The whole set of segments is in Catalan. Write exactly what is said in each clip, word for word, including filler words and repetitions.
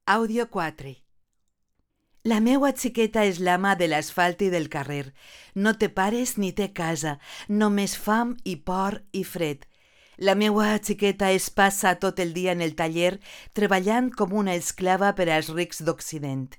Àudio quatre. La meua xiqueta és l'ama de l'asfalt i del carrer. No té pares ni té casa, només fam i por i fred. La meua xiqueta es passa tot el dia en el taller treballant com una esclava per als rics d'Occident.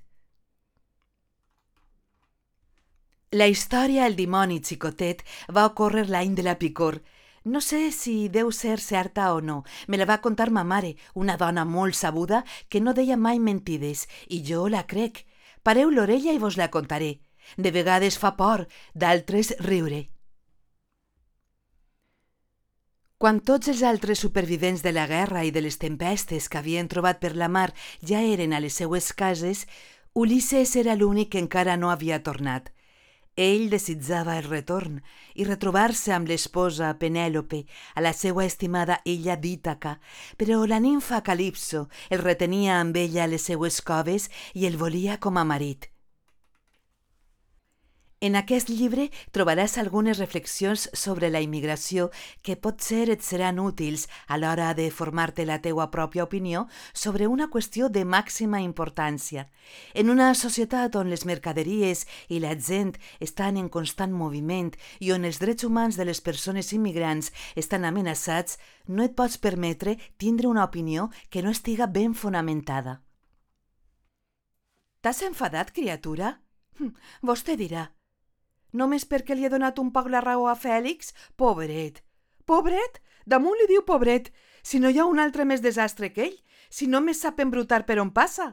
La història El dimoni xicotet va ocórrer l'any de la picor. No sé si deu ser certa o no. Me la va contar ma mare, una dona molt sabuda que no deia mai mentides, i jo la crec. Pareu l'orella i vos la contaré. De vegades fa por, d'altres riure. Quan tots els altres supervivents de la guerra i de les tempestes que havien trobat per la mar ja eren a les seues cases, Ulisses era l'únic que encara no havia tornat. Ell desitjava el retorn i retrobar-se amb l'esposa Penèlope a la seva estimada illa d'Ítaca, però la nimfa Calipso el retenia amb ella a les seues coves i el volia com a marit. En aquest llibre trobaràs algunes reflexions sobre la immigració que potser et seran útils a l'hora de formar-te la teua pròpia opinió sobre una qüestió de màxima importància. En una societat on les mercaderies i la gent estan en constant moviment i on els drets humans de les persones immigrants estan amenaçats, no et pots permetre tindre una opinió que no estiga ben fonamentada. T'has enfadat, criatura? Vostè dirà. Només perquè li he donat un poc la raó a Fèlix? Pobret! Pobret? Damunt li diu pobret, si no hi ha un altre més desastre que ell, si només sap embrutar per on passa.